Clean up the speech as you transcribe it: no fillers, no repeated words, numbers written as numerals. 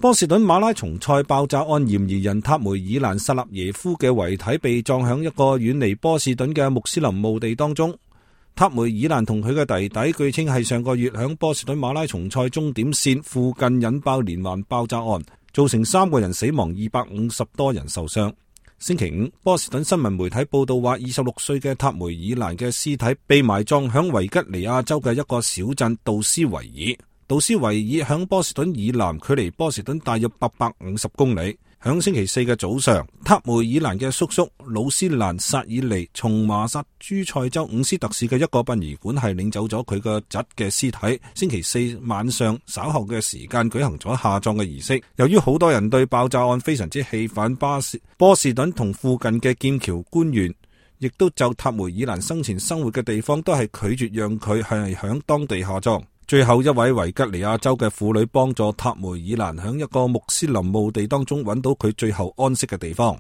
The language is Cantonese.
波士頓馬拉松賽爆炸案嫌疑人塔梅爾蘭薩納耶夫嘅遺體被葬響一個遠離波士頓嘅穆斯林墓地當中。塔梅爾蘭同佢嘅弟弟據稱係上個月響波士頓馬拉松賽終點線附近引爆連環爆炸案，造成3個人死亡，250多人受傷。星期五，波士頓新聞媒體報道話，26歲嘅塔梅爾蘭嘅屍體被埋葬響維吉尼亞州嘅一個小鎮杜斯維爾。杜斯維爾響波士頓以南，距離波士頓大約850公里。響星期四嘅早上，塔梅爾蘭嘅叔叔魯斯蘭薩爾尼從麻薩諸塞州伍斯特市嘅一個殯儀館係領走咗佢個侄嘅屍體。星期四晚上稍後嘅時間舉行咗下葬嘅儀式。由於好多人對爆炸案非常之氣憤，波士頓同附近嘅劍橋官員亦都就塔梅爾蘭生前生活嘅地方都係拒絕讓佢係響當地下葬。最後一位維吉尼亞州嘅婦女幫助塔梅爾蘭響一個穆斯林墓地當中揾到佢最後安息嘅地方。